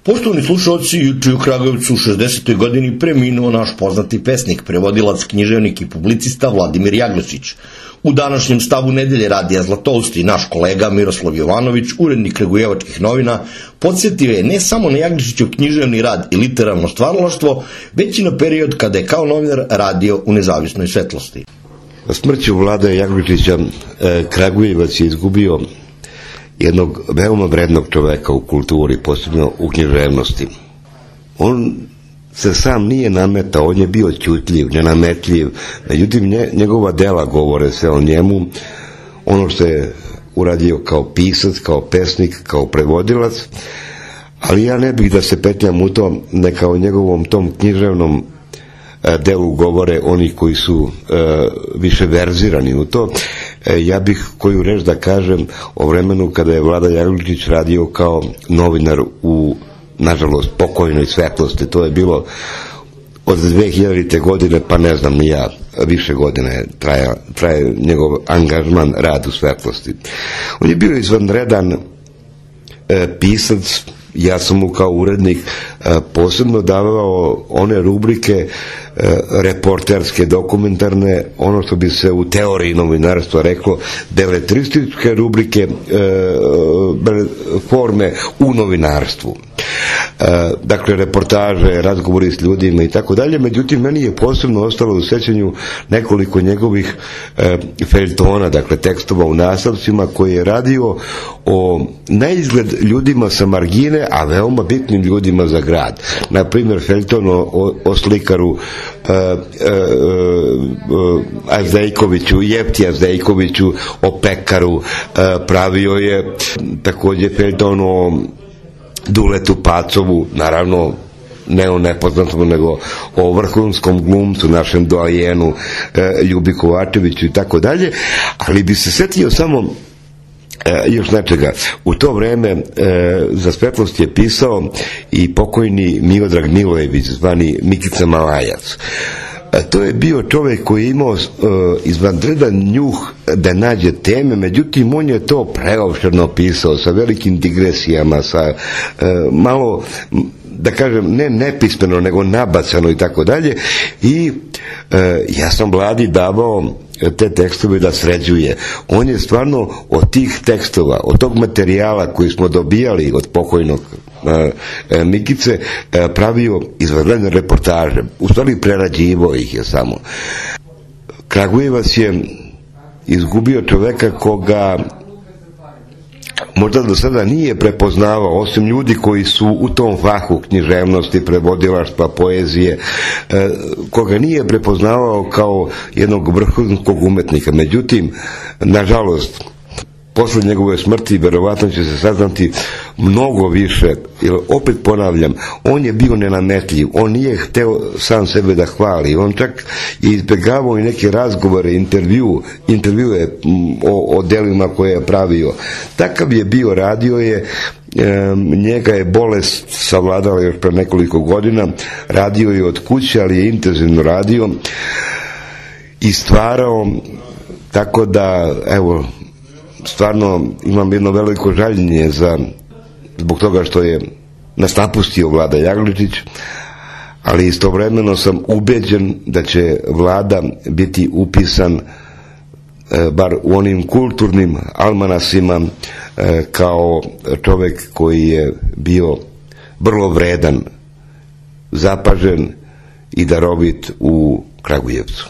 Poštovani slušalci, juče u Kragujevcu u 60. godini preminuo naš poznati pesnik, prevodilac, književnik i publicista Vladimir Jaglješić. U današnjem stavu Nedelje radija Zlatousti naš kolega Miroslav Jovanović, urednik Kragujevačkih novina, podsjetio je ne samo na Jaglješićev književni rad i literarno stvaralaštvo, već i na period kada je kao novinar radio u Nezavisnoj Svetlosti. Smrću Vlada Jaglješića Kragujevac je izgubio jednog veoma vrednog čoveka u kulturi, posebno u književnosti. On se sam nije nametao, on je bio ćutljiv, nenametljiv, međutim njegova dela govore se o njemu, ono što je uradio kao pisac, kao pesnik, kao prevodilac, ali ja ne bih da se petljam u to, neka o njegovom tom književnom delu govore oni koji su više verzirani u to. Ja bih koju reč da kažem o vremenu kada je Vlada Jaglješić radio kao novinar u, nažalost, pokojnoj Svetlosti. To je bilo od 2000. godine, pa ne znam ni ja, više godine traje njegov angažman, rad u Svetlosti. On je bio izvanredan pisac. Ja sam mu kao urednik posebno davao one rubrike reporterske, dokumentarne, ono što bi se u teoriji novinarstva reklo, beletrističke rubrike, forme u novinarstvu. Dakle, reportaže, razgovori s ljudima i tako dalje. Međutim, meni je posebno ostalo u sećanju nekoliko njegovih feljtona, dakle tekstova u nastavcima, koji je radio o naizgled ljudima sa margine, a veoma bitnim ljudima za grad. Na primjer, feljton o slikaru Azdejkoviću, Jefti Azdejkoviću, o pekaru. Pravio je također feljton o Duletu Pacovu, naravno ne o nepoznatom, nego o vrhunskom glumcu, našem doajenu Ljubi Kovačeviću i tako dalje, ali bi se setio samo još nečega. U to vreme za Svetlost je pisao i pokojni Miodrag Milojević, zvani Mikica Malajac. To je bio čovjek koji je imao izvanredan njuh da nađe teme, međutim on je to preopširno pisao, sa velikim digresijama, sa malo, da kažem, ne nepismeno, nego nabacano i tako dalje. I ja sam Vladi davao te tekstove da sređuje. On je stvarno od tih tekstova, od tog materijala koji smo dobijali od pokojnog Mikice, pravio izvanredne reportaže. U stvari prerađivao ih je samo. Kragujevac je izgubio čoveka koga možda do sada nije prepoznavao, osim ljudi koji su u tom fahu književnosti, prevodilaštva, poezije, koga nije prepoznavao kao jednog vrhunskog umetnika. Međutim, nažalost, posle njegove smrti verovatno će se saznati mnogo više, jer opet ponavljam, on je bio nenametljiv, on nije hteo sam sebe da hvali, on čak je izbjegavao i neke razgovore, intervjue o delima koje je pravio. Takav je bio, radio je, njega je bolest savladala još pre nekoliko godina, radio je od kuće, ali je intenzivno radio i stvarao, tako da, evo, stvarno imam jedno veliko žaljenje zbog toga što je nas napustio Vlada Jaglješić, ali istovremeno sam ubeđen da će Vlada biti upisan bar u onim kulturnim almanasima kao čovjek koji je bio vrlo vredan, zapažen i darovit u Kragujevcu.